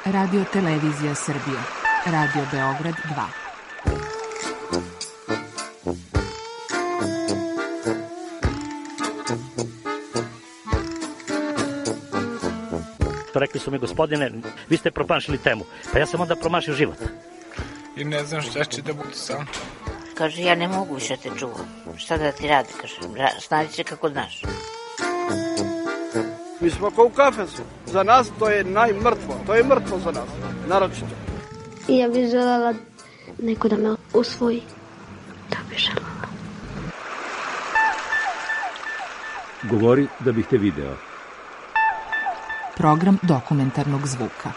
Radio Televizija Srbije. Radio Beograd 2. Rekli su mi, gospodine, vi ste promašili temu. Pa ja sam onda promašio život. I ne znam šta će da budu sam. Kaže, ja ne mogu više te čuvam. Šta da ti radi, kaže, snađi se kako znaš. Mi smo kao u kafesu. Za nas to je najmrtvo. To je mrtvo za nas, naročito. I ja bih želela neko da me usvoji. Da bih želela. Govori da bih te video. Program dokumentarnog zvuka.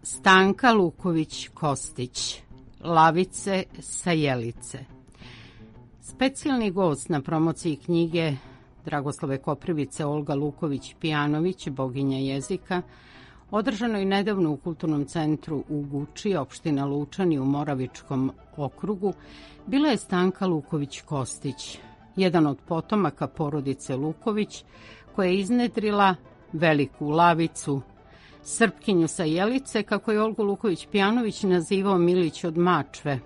Stanka Luković-Kostić, Lavice sa Jelice. Specijalni gost na promociji knjige Dragoslave Koprivice Olga Luković-Pijanović, boginja jezika, održano je nedavno u Kulturnom centru u Guči, opština Lučani u Moravičkom okrugu, bila je Stanka Luković-Kostić, jedan od potomaka porodice Luković, koja je iznedrila veliku Lavicu, Srpkinju sa Jelice, kako je Olgu Luković-Pijanović nazivao Milić od Mačve,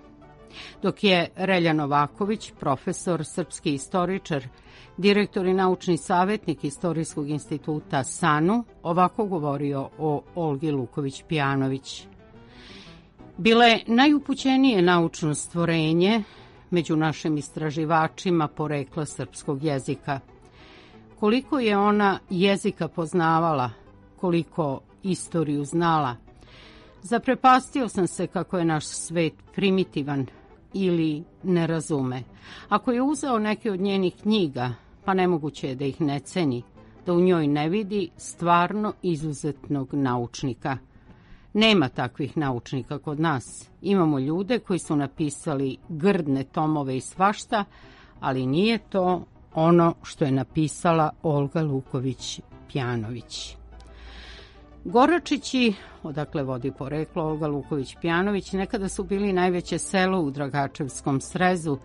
dok je Relja Novaković, profesor, srpski istoričar, direktor i naučni savjetnik Istorijskog instituta SANU, ovako govorio o Olgi Luković-Pijanović. Bila je najupućenije naučno stvorenje među našim istraživačima porekla srpskog jezika. Koliko je ona jezika poznavala, koliko istoriju znala. Zaprepastio sam se kako je naš svet primitivan ili ne razume. Ako je uzeo neke od njenih knjiga, pa nemoguće je da ih ne ceni, da u njoj ne vidi stvarno izuzetnog naučnika. Nema takvih naučnika kod nas. Imamo ljude koji su napisali grdne tomove i svašta, ali nije to ono što je napisala Olga Luković-Pijanović. Goračići, odakle vodi poreklo Olga Luković-Pijanović, nekada su bili najveće selo u Dragačevskom srezu,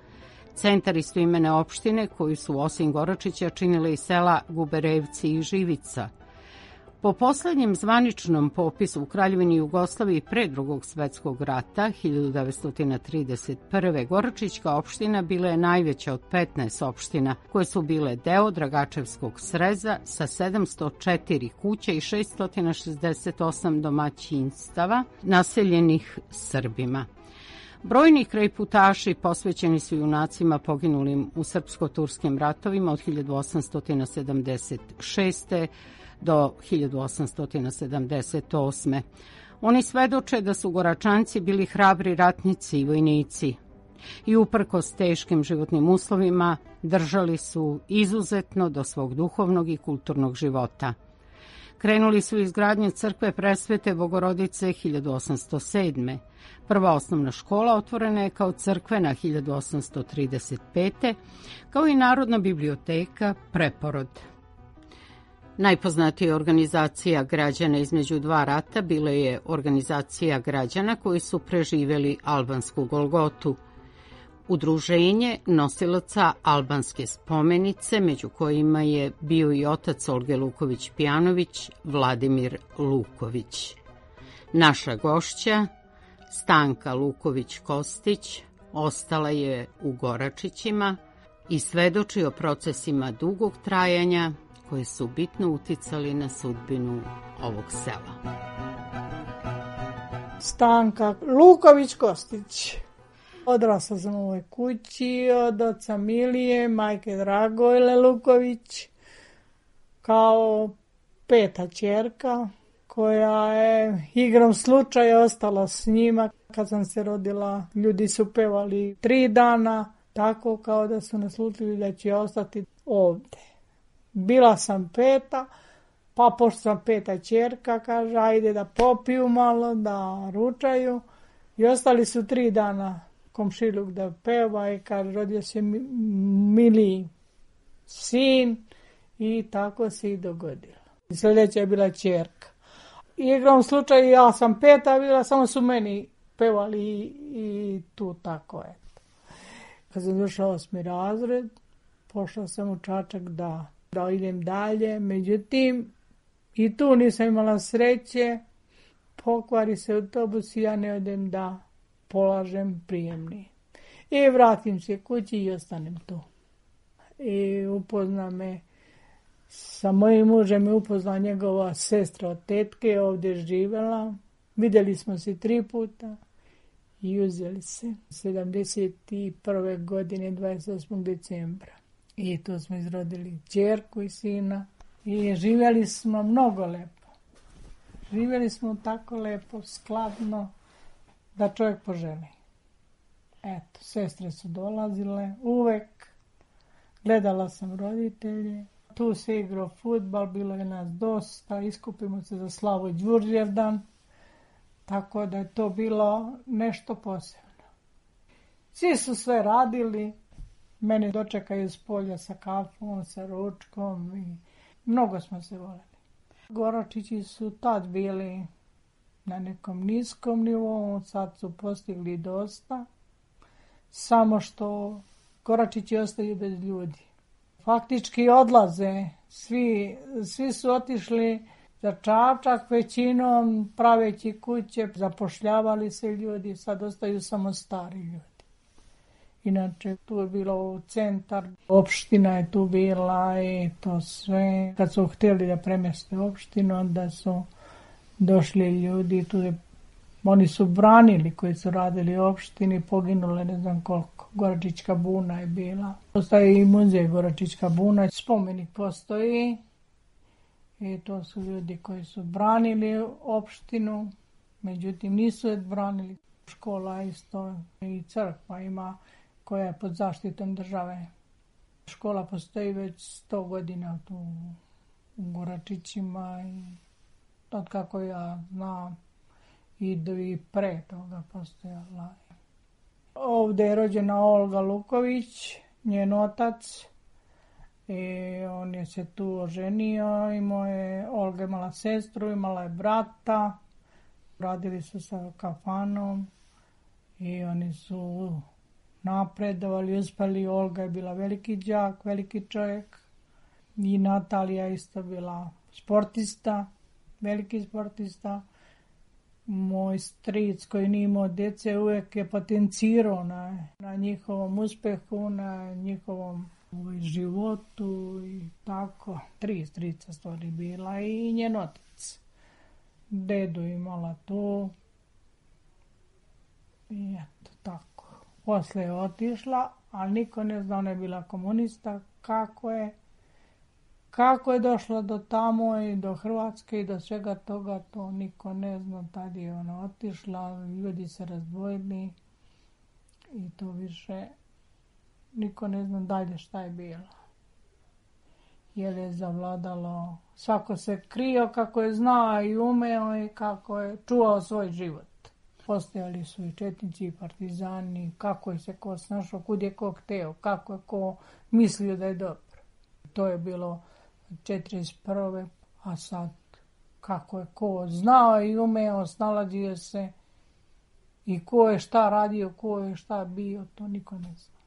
centar istoimene opštine koju su osim Goračića činile i sela Guberevci i Živica. Po poslednjem zvaničnom popisu u Kraljevini Jugoslaviji pre Drugog svetskog rata, 1931. Goračićka opština bila je najveća od 15 opština koje su bile deo Dragačevskog sreza sa 704 kuća i 668 domaćinstava naseljenih Srbima. Brojni krajputaši posvećeni su junacima poginulim u srpsko-turskim ratovima od 1876. do 1878. Oni svedoče da su Goračanci bili hrabri ratnici i vojnici i uprkos teškim životnim uslovima držali su izuzetno do svog duhovnog i kulturnog života. Krenuli su izgradnju crkve Presvete Bogorodice 1807. Prva osnovna škola otvorena je kao crkvena 1835. kao i Narodna biblioteka Preporod. Najpoznatija organizacija građana između dva rata bila je organizacija građana koji su preživeli albansku Golgotu, udruženje nosilaca albanske spomenice, među kojima je bio i otac Olge Luković-Pijanović, Vladimir Luković. Naša gošća, Stanka Luković-Kostić, ostala je u Goračićima i svedoči o procesima dugog trajanja koji su bitno uticali na sudbinu ovog sela. Stanka Luković-Kostić. Odrasla sam u ovoj kući od oca Milije, majke Dragojle Luković, kao peta ćerka koja je igrom slučaja ostala s njima. Kad sam se rodila, ljudi su pevali 3 dana, tako kao da su naslutili da će ostati ovde. Bila sam peta, pa pošto sam peta ćerka, kaže, ajde da popiju malo, da ručaju. I ostali su 3 dana komšiluk da peva i kaže, rodio se Mili sin i tako se i dogodilo. Sljedeća je bila ćerka. Igrom slučaju ja sam peta bila, samo su meni pevali i tu tako je. Kad sam došla 8. razred, pošla sam u Čačak da idem dalje. Međutim, i tu nisam imala sreće. Pokvari se autobus i ja ne odem da polažem prijemni. I vratim se kući i ostanem tu. I upozna me, sa mojim mužem me upozna njegova sestra od tetke, ovdje živjela. Vidjeli smo se 3 puta i uzeli se 71. godine 28. decembra. I tu smo izrodili ćerku i sina i živjeli smo mnogo lepo. Živjeli smo tako lepo, skladno, da čovjek poželi. Eto, sestre su dolazile uvek, gledala sam roditelje, tu se igrao fudbal, bilo je nas dosta, iskupimo se za Slavo Đurđevdan, tako da je to bilo nešto posebno. Svi su sve radili, mene dočekaju s polja sa kafom, sa ručkom i mnogo smo se voljeli. Goračići su tad bili na nekom niskom nivou, sad su postigli dosta, samo što Goračići ostaju bez ljudi. Faktički odlaze, svi su otišli za Čačak, većinom praveći kuće, zapošljavali se ljudi, sad ostaju samo stari ljudi. Inače, tu je bilo centar, opština je tu bila i to sve. Kad su htjeli da premjeste opštinu, onda su došli ljudi, oni su branili koji su radili u opštini, poginule ne znam koliko. Goračićka buna je bila. Postoji i muzej Goračićka buna, spomenik postoji. I to su ljudi koji su branili opštinu, međutim nisu je branili. Škola isto i crkva ima koja je pod zaštitom države. Škola postoji već 100 godina tu u Goračićima i od kako ja znam i pre toga postojala. Ovdje je rođena Olga Luković, njen otac. I on je se tu oženio, Olga imala sestru, imala je brata, radili su sa kafanom i oni su napredovali, uspjeli. Olga je bila veliki đak, veliki čovjek i Natalija isto bila sportista, veliki sportista. Moj stric koji nije imao djece uvijek je potencirao na njihovom uspjehu, na njihovom životu i tako. 3 strica stvari bila i njen otac. Dedu imala tu i eto tako. Posle je otišla, ali niko ne zna, ona je bila komunista, kako je došla do tamo i do Hrvatske i do svega toga, to niko ne zna. Tad je ona otišla, ljudi se razdvojili i to više niko ne zna dalje šta je bilo. Jer je zavladalo, svako se krio kako je znao i umeo i kako je čuvao svoj život. Postojali su i četnici i partizani, kako je se ko snašao, kud je ko hteo, kako je ko mislio da je dobro. To je bilo 41. A sad kako je ko znao i umeo, snalazio se i ko je šta radio, ko je šta bio, to niko ne zna.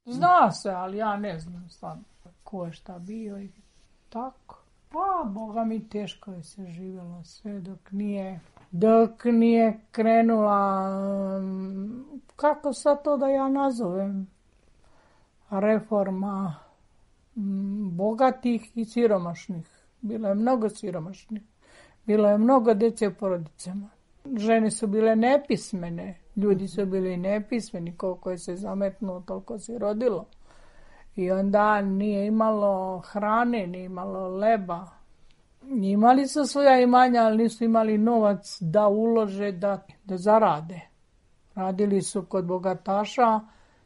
Zna se, ali ja ne znam stvarno ko je šta bio i tako. Pa, Boga mi, teško je se živjelo sve dok nije krenula, kako sad to da ja nazovem, reforma bogatih i siromašnih. Bilo je mnogo siromašnih, bilo je mnogo djece u porodicama. Žene su bile nepismene, ljudi su bili nepismeni, koliko je se zametnuo, toliko se rodilo. I onda nije imalo hrane, nije imalo leba. Imali su svoja imanja, ali nisu imali novac da ulože, da zarade. Radili su kod bogataša,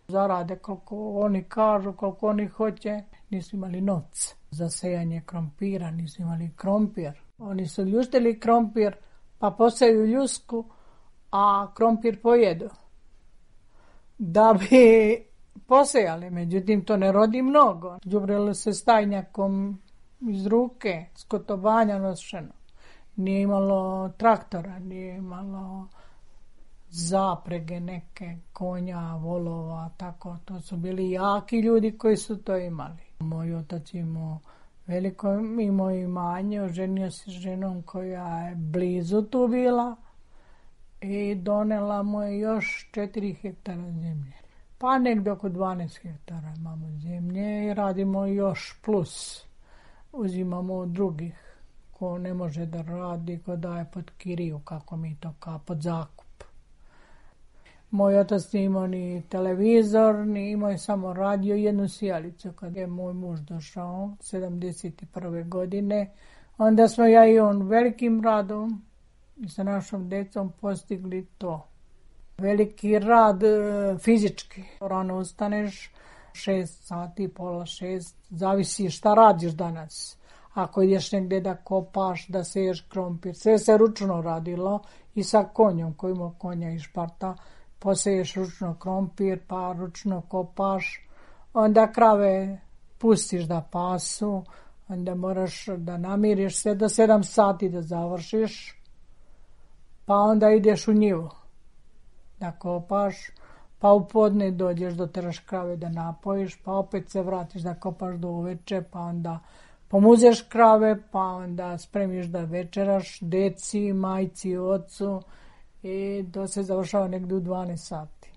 zarade koliko oni kažu, koliko oni hoće. Nisu imali novca za sejanje krompira, nisu imali krompir. Oni su ljuštili krompir, pa poseju ljusku, a krompir pojedu. Da bi posejali, međutim to ne rodi mnogo. Đubrilo se stajnjakom iz ruke, skotobanja nošeno. Nije imalo traktora, nije imalo zaprege neke konja, volova, tako. To su bili jaki ljudi koji su to imali. Moj otac imao veliko imanje, oženio se s ženom koja je blizu tu bila i donela mu je još 4 hektara zemlje. Pa negdje oko 12 hektara imamo zemlje i radimo još plus. Uzimamo od drugih ko ne može da radi, ko daje pod kiriju, kako mi to kao pod zakup. Moj otac nije imao ni televizor, ni imao je samo radio i jednu sijalicu. Kad je moj muž došao 71. godine, onda smo ja i on velikim radom i sa našom decom postigli to. Veliki rad fizički. Rano ustaneš, 6 sati, pola 6, zavisi šta radiš danas. Ako ideš negdje da kopaš, da seješ krompir, sve se ručno radilo i sa konjom, koji ima konja i šparta, poseješ ručno krompir, pa ručno kopaš, onda krave pustiš da pasu, onda moraš da namiriš sve do 7 sati da završiš, pa onda ideš u njivu da kopaš, pa u podne dođeš do teraš krave da napojiš, pa opet se vratiš da kopaš do uveče, pa onda pomuzeš krave, pa onda spremiš da večeraš deci, majci, ocu i to se završava negdje u 12 sati.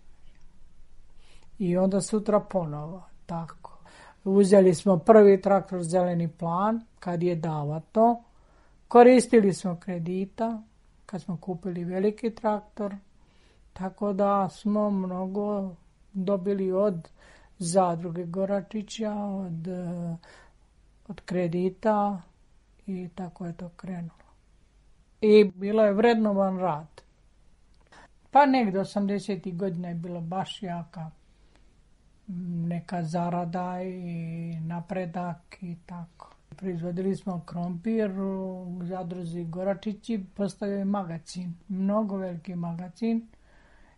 I onda sutra ponovo, tako. Uzeli smo prvi traktor Zeleni plan, kad je davato. Koristili smo kredita, kad smo kupili veliki traktor, tako da smo mnogo dobili od zadruge Goračića, od kredita i tako je to krenulo. I bilo je vrednovan rad. Pa negdje 80. godina je bilo baš jaka neka zarada i napredak i tako. Proizvodili smo krompir u zadruzi Goračići, postavio je magacin, mnogo veliki magacin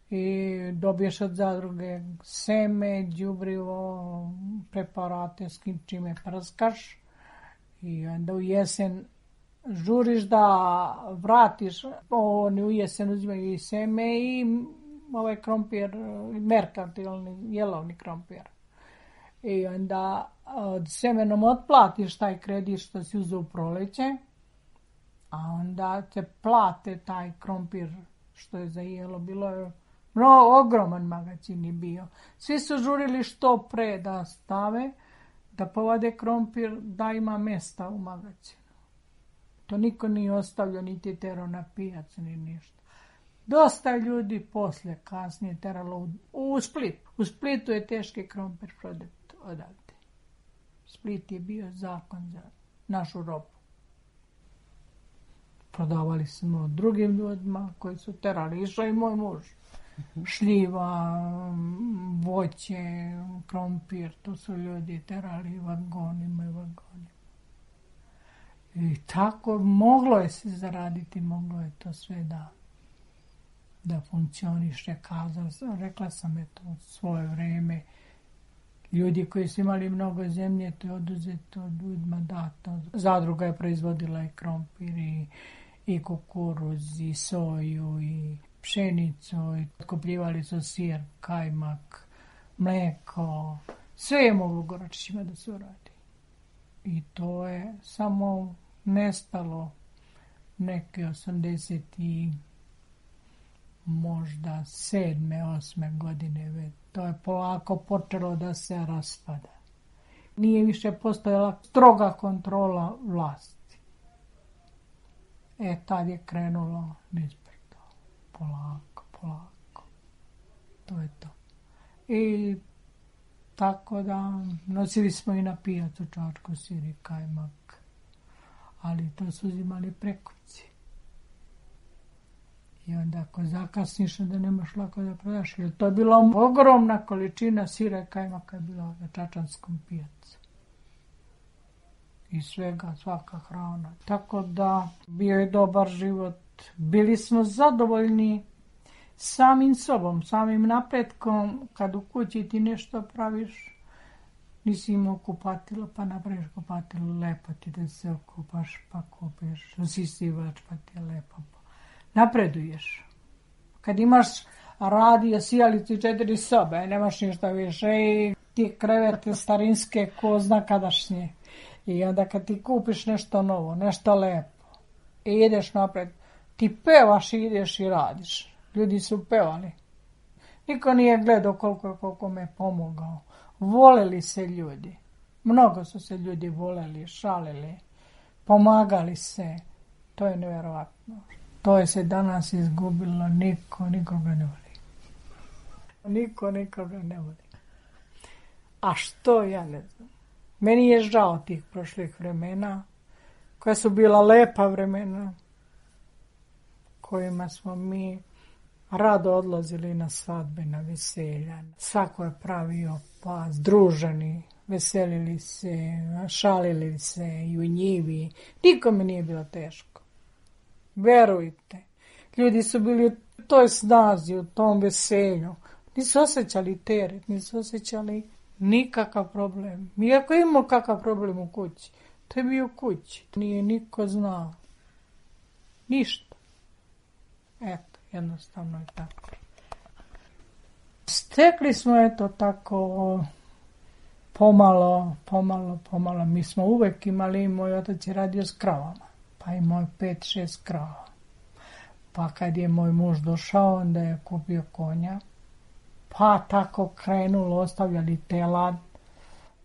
i dobiješ od zadruge seme, đubrivo, preparate s čime prskaš i onda u jesen žuriš da vratiš, oni u jesen uzimaju i seme i ovaj krompir, merkantilni, jelovni krompir. I onda od semenom otplatiš taj kredit što si uzeo u proleće, a onda te plate taj krompir što je za jelo. Bilo je ogroman magacin je bio. Svi su žurili što pre da stave, da povade krompir, da ima mjesta u magacinu. To niko nije ostavljao, niti terao na pijac, ni ništa. Dosta ljudi posle, kasnije teralo u Split. U Splitu je teški krompir prodat odavde. Split je bio zakon za našu robu. Prodavali smo drugim ljudima koji su terali. Išao i moj muž. Šljiva, voće, krompir, to su ljudi terali vagonima i vagonima. I tako moglo je se zaraditi, moglo je to sve da funkcioniše. Rekla sam eto u svoje vrijeme. Ljudi koji su imali mnogo zemlje, to je oduzeto ljudima dato. Zadruga je proizvodila i krompir, i kukuruz, i soju, i pšenicu, i otkupljivali su sir, kajmak, mleko. Sve je moglo Goračićima da se uradi. I to je samo nestalo neke 80 i možda 7. 8. godine već. To je polako počelo da se raspada. Nije više postojala stroga kontrola vlasti. Tad je krenulo nizbrdo. Polako. To je to. I tako da nosili smo i na pijacu čačku, sir i kajmak. Ali to su uzimali prekuci. I onda ako zakasniš, da nemaš lako da prodaš. Jer to je bila ogromna količina sira i kajmaka je bila na čačanskom pijacu. I svega, svaka hrana. Tako da bio je dobar život. Bili smo zadovoljni samim sobom, samim napretkom. Kad u kući ti nešto praviš, nisi imao kupatilo, pa napraviš kupatilo, lepo ti da se okupaš, pa kupiš usisivač, pa ti je lepo. Napreduješ. Kad imaš radio, sijalicu i 4 sobe, nemaš ništa više i ti krevete starinske ko zna kadašnje. I onda kad ti kupiš nešto novo, nešto lepo i ideš napred, ti pevaš i ideš i radiš. Ljudi su pevali. Niko nije gledao koliko me pomogao. Voleli se ljudi. Mnogo su se ljudi voleli, šalili, pomagali se. To je nevjerovatno. To je se danas izgubilo. Niko nikoga ne voli. Niko nikoga ne voli. A što, ja ne znam. Meni je žao tih prošlih vremena, koja su bila lepa vremena, kojima smo mi rado odlazili na svadbe, na veselja. Svako je pravio pas, druženi, veselili se, šalili se i u njivi. Nikome nije bilo teško. Verujte, ljudi su bili u toj snazi, u tom veselju. Nisu osjećali teret, nisu osjećali nikakav problem. Iako imamo kakav problem u kući, to je bio u kući. Nije niko znao. Ništa. Eto, jednostavno je tako. Stekli smo tako pomalo. Mi smo uvek imali, moj otac je radio s kravama, pa imao 5-6 krava. Pa kad je moj muž došao, onda je kupio konja, pa tako krenulo, ostavljali telad,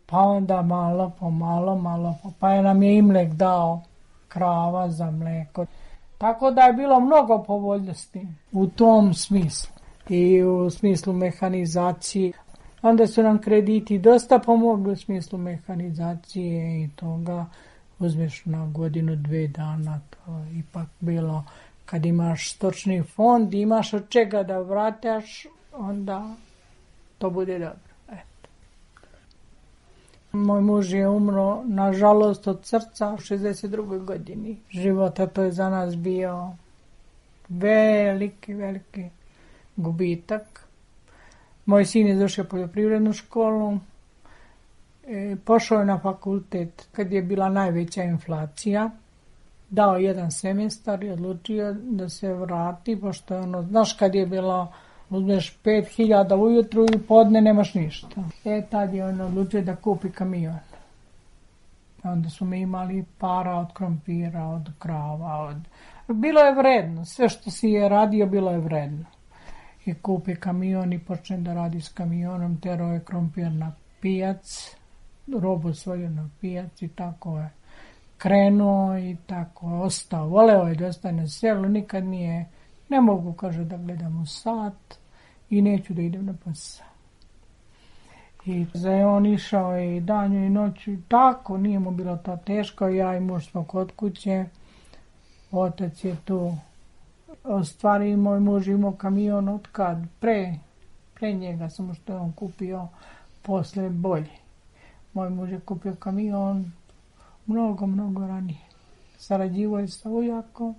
pa onda malo po malo, pa je nam je Imlek dao krava za mleko. Tako da je bilo mnogo povoljnosti u tom smislu i u smislu mehanizacije. Onda su nam krediti dosta pomogli u smislu mehanizacije i toga. Uzmeš na godinu, 2 dana, to je ipak bilo. Kad imaš stočni fond, imaš od čega da vrataš, onda to bude dobro. Eto. Moj muž je umro, nažalost, od srca u 62. godini života. To je za nas bio veliki gubitak. Moj sin je završio poljoprivrednu školu, pošao je na fakultet kad je bila najveća inflacija, dao 1 semestar i odlučio da se vrati, pošto je znaš kad je bilo, uzmeš 5.000 ujutru i podne nemaš ništa. Tad je on odlučio da kupi kamion. Onda su mi imali para od krompira, od krava, bilo je vredno, sve što si je radio bilo je vredno. I kupi kamion i počne da radi s kamionom, terao je krompir na pijac, robu svoju na pijac i tako je krenuo i tako je ostao. Voleo je da ostane na selu, nikad nije, ne mogu, kaže, da gledam u sat i neću da idem na posao. I on išao i danju i noću, tako, nije mu bilo to teško, ja i muž smo kod kuće, otac je tu. Ostvari, moj muž imao kamion od kad? Pre njega, samo što je on kupio posle bolje. Moj muž je kupio kamion mnogo ranije. Sarađivo je sa ujakom.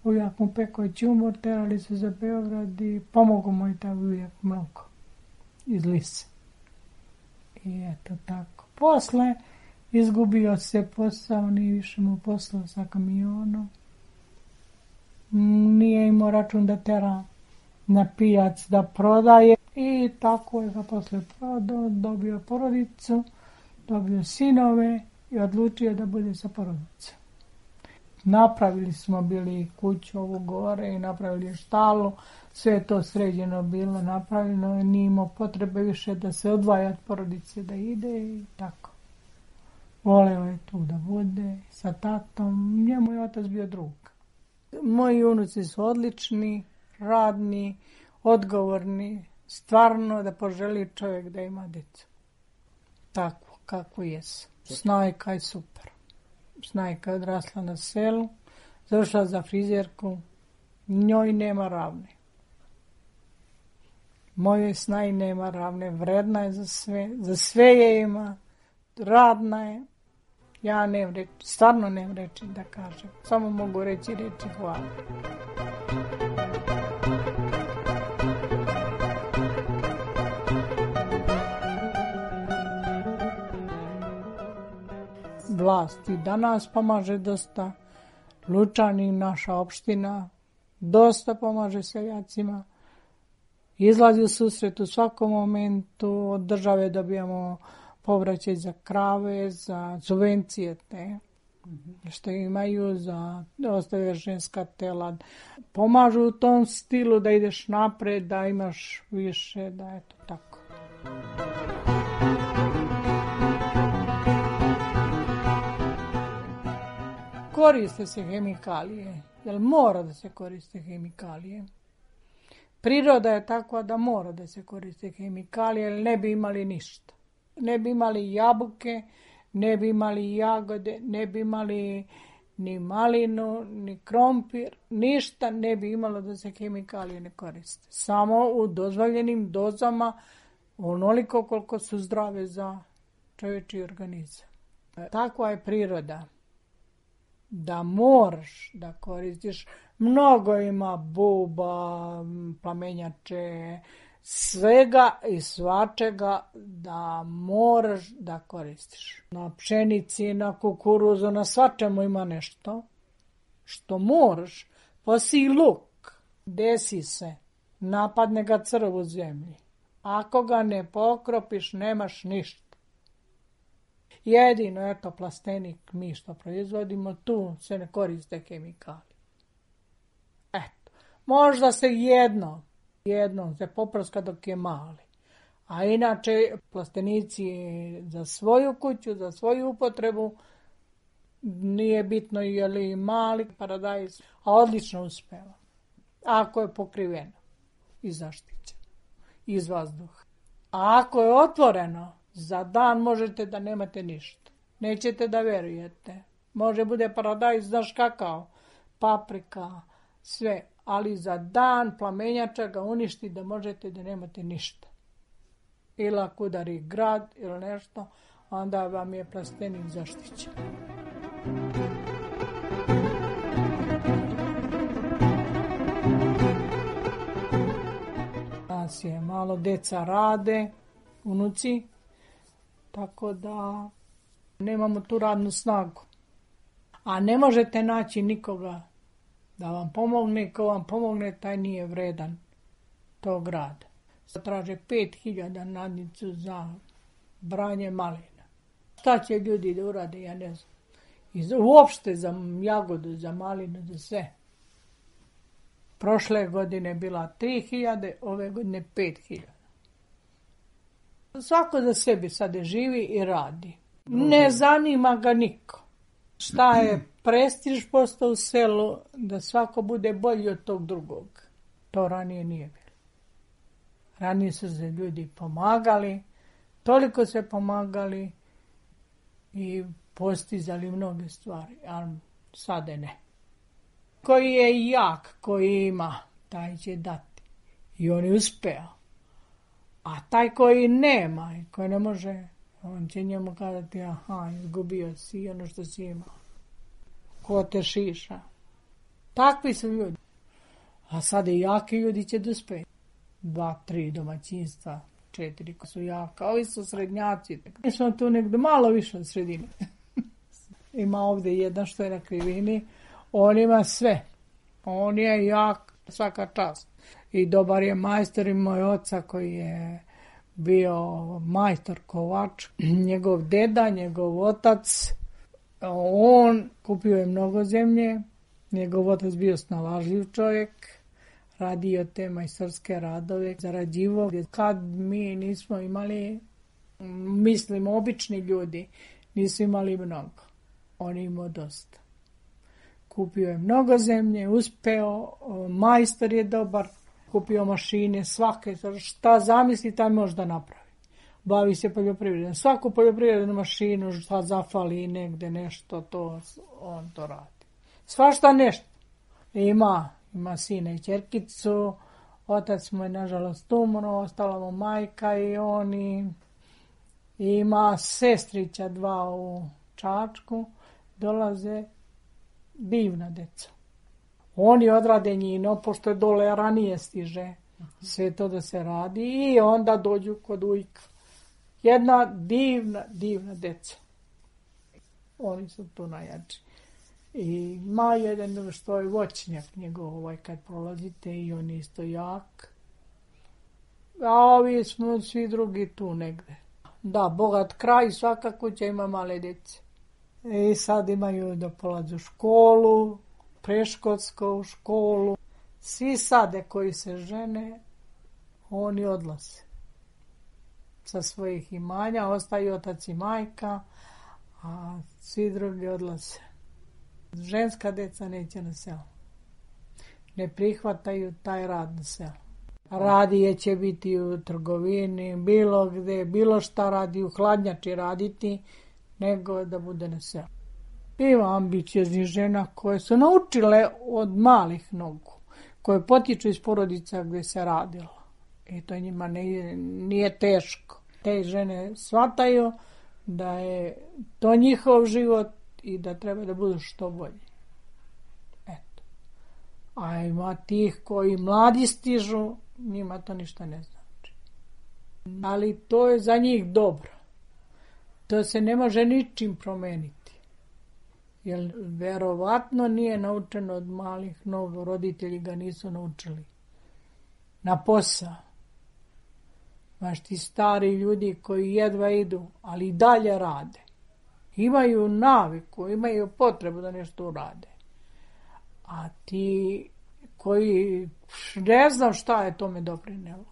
Ujak mu pekao ćumor, terali se za Beograd i pomogao mu i taj ujak mnogo iz Lise. I eto tako. Posle izgubio se posao, nije više mu poslao sa kamionom. Nije imao račun da tera na pijac da prodaje i tako je ga posle prodao, dobio porodicu, dobio sinove i odlučio da bude sa porodicom. Napravili smo bili kuću ovu gore i napravili štalu, sve je to sređeno bilo napravljeno i nije imao potrebe više da se odvaja od porodice, da ide i tako. Voleo je tu da bude sa tatom, njemu je otac bio drug. Moji unuci su odlični, radni, odgovorni, stvarno da poželi čovjek da ima djecu. Tako, kako jesu. Snajka je super. Snajka je odrasla na selu, završila za frizerku, njoj nema ravne. Mojoj Snaj nema ravne, vredna je za sve je ima, radna je. Ja nemam reći, stvarno nemam reći da kažem. Samo mogu reći hvala. Vlast i danas pomaže dosta. Lučani, naša opština, dosta pomaže seljacima, izlazi u susret u svakom momentu, od države dobijamo povraćaj za krave, za subvencije te što imaju, za ostave ženska tela. Pomažu u tom stilu da ideš napred, da imaš više, da je to tako. Koriste se hemikalije, jer mora da se koriste hemikalije. Priroda je takva da mora da se koriste hemikalije, jer ne bi imali ništa. Ne bi imali jabuke, ne bi imali jagode, ne bi imali ni malinu, ni krompir, ništa ne bi imalo da se hemikalije ne koriste. Samo u dozvoljenim dozama, onoliko koliko su zdrave za čovječji organizam. Takva je priroda da moraš da koristiš. Mnogo ima buba, plamenjače, svega i svačega da moraš da koristiš. Na pšenici, na kukuruzu, na svačemu ima nešto što moraš. Posi luk, desi se, napadne ga crv u zemlji. Ako ga ne pokropiš, nemaš ništa. Jedino, eto, plastenik, mi što proizvodimo, tu se ne koriste hemikalije. Eto, možda se jednom se poprska dok je mali. A inače, plastenici za svoju kuću, za svoju upotrebu, nije bitno je li mali paradajz, a odlično uspeva. Ako je pokriveno i zaštićeno iz vazduha. A ako je otvoreno, za dan možete da nemate ništa. Nećete da verujete. Može bude paradajz, znaš kakav, paprika, sve. Ali za dan plamenjača ga uništi da možete da nemate ništa. Ili ako udari grad ili nešto, onda vam je plastenik zaštićen. Nas je malo deca rade, unuci, tako da nemamo tu radnu snagu. A ne možete naći nikoga da vam pomogne, ko vam pomogne, taj nije vredan tog rada. Traže 5.000 nadnicu za branje malina. Šta će ljudi da urade, ja ne znam. Uopšte za jagodu, za malinu, za sve. Prošle godine bila 3.000, ove godine 5.000. Svako za sebe sada živi i radi. Ne zanima ga niko. Šta je prestiž postao u selu, da svako bude bolji od tog drugog. To ranije nije bilo. Ranije su se ljudi pomagali, toliko se pomagali i postizali mnoge stvari, ali sada ne. Koji je jak, koji ima, taj će dati. I on je uspeo. A taj koji nema i koji ne može, on će njemu kazati, aha, izgubio si ono što si imao. Ko te šiša. Takvi su ljudi. A sada i jaki ljudi će da uspeju. 2-3 domaćinstva, 4 ko su jaka. Ovi su srednjaci. Mi smo tu negdje malo više od sredine. Ima ovdje jedan što je na krivini. On ima sve. On je jak, svaka čast. I dobar je majstor i moj oca koji je bio majstor kovač. Njegov deda, njegov otac, on kupio je mnogo zemlje. Njegov otac bio snalažljiv čovjek. Radio te majstorske radove, zarađivo. Kad mi nismo imali, mislim, obični ljudi, nisu imali mnogo. On imao dosta. Kupio je mnogo zemlje, uspeo, majstor je dobar, kupio mašine, svake, šta zamisli, taj može da napravi. Bavi se poljoprivredom. Svaku poljoprivrednu mašinu, šta zafali negde nešto, to on to radi. Svašta nešto. Ima sina i ćerkicu, otac mu je nažalost umro, ostala mu majka i oni. Ima sestrića 2 u Čačku, dolaze divna deca. Oni odrade njino, pošto je dole ranije stiže sve to da se radi i onda dođu kod ujka. Jedna divna deca. Oni su tu najjači. I ima jedan što je voćnjak njegov, kad prolazite, i on je isto jak. A ovi smo svi drugi tu negde. Da, bogat kraj, svaka kuća ima male djece. I sad imaju da polazu školu, preškolsku školu. Svi sade koji se žene, oni odlaze sa svojih imanja, ostaju otac i majka, a svi drugi odlaze. Ženska deca neće na selo. Ne prihvataju taj rad na selo. Radije će biti u trgovini, bilo gde, bilo šta radi, u hladnjači raditi, nego da bude na selu. Ima ambicioznih žena koje su naučile od malih nogu, koje potiču iz porodica gde se radilo. I to njima nije teško. Te žene shvataju da je to njihov život i da treba da budu što bolji. Eto. A ima tih koji mladi stižu, njima to ništa ne znači. Ali to je za njih dobro. To se ne može ničim promeniti. Jer verovatno nije naučeno od malih nogu, roditelji ga nisu naučili. Na posao. Znaš, ti stari ljudi koji jedva idu, ali i dalje rade. Imaju naviku, imaju potrebu da nešto urade. A ti koji ne znam šta je tome doprinelo.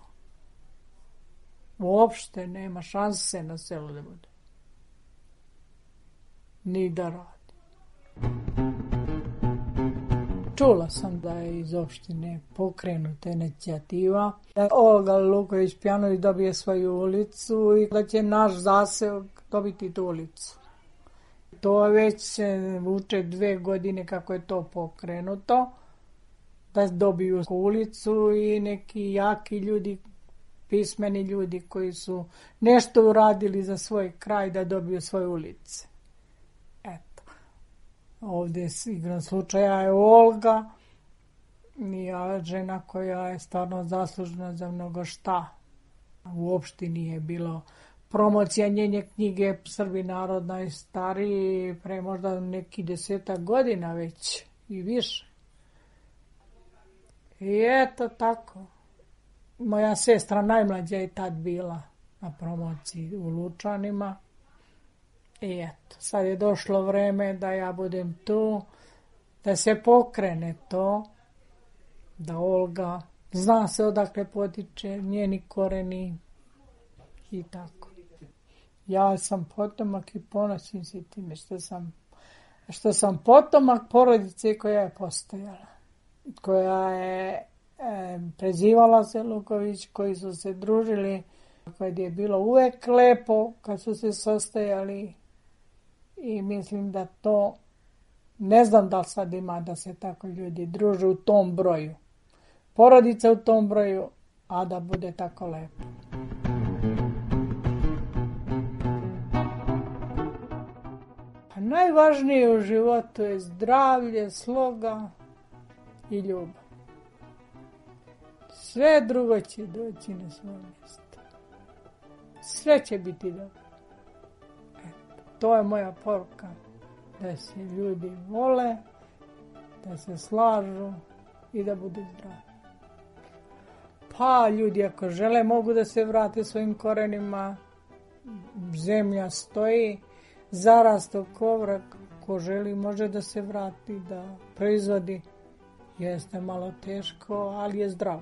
Uopšte nema šanse na selu da bude. Ni da radi. Čula sam da je iz opštine pokrenuta inicijativa da Olga Luković-Pjanović dobije svoju ulicu i da će naš zaseok dobiti tu ulicu. To već se vuče 2 godine kako je to pokrenuto, da dobiju ulicu i neki jaki ljudi, pismeni ljudi koji su nešto uradili za svoj kraj da dobiju svoje ulice. Eto. Ovdje igrom slučaja je Olga, žena koja je stvarno zaslužna za mnogo šta. U opštini je bilo promocija njene knjige Srbi narod najstariji pre možda neki 10 godina već i više. I eto tako. Moja sestra najmlađa je tad bila na promociji u Lučanima. I eto, sad je došlo vreme da ja budem tu, da se pokrene to, da Olga zna se odakle potiče, njeni koreni i tako. Ja sam potomak i ponosim se time što sam potomak porodice koja je postojala, koja je prezivala se Luković, koji su se družili, kad je bilo uvek lepo, kad su se sastajali i mislim da to, ne znam da li sad ima da se tako ljudi druže u tom broju, porodica u tom broju, a da bude tako lepo. A najvažnije u životu je zdravlje, sloga i ljubav. Sve drugo će doći na svoje mjesto. Sve će biti dobro. Eto, to je moja poruka. Da se ljudi vole, da se slažu i da budu zdravi. Pa ljudi ako žele mogu da se vrate svojim korenima. Zemlja stoji, zarasto kovrak. Ko želi može da se vrati, da proizvodi. Jeste malo teško, ali je zdravo.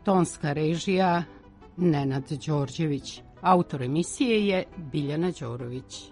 Tonska režija Nenad Đorđević. Autor emisije je Biljana Đorović.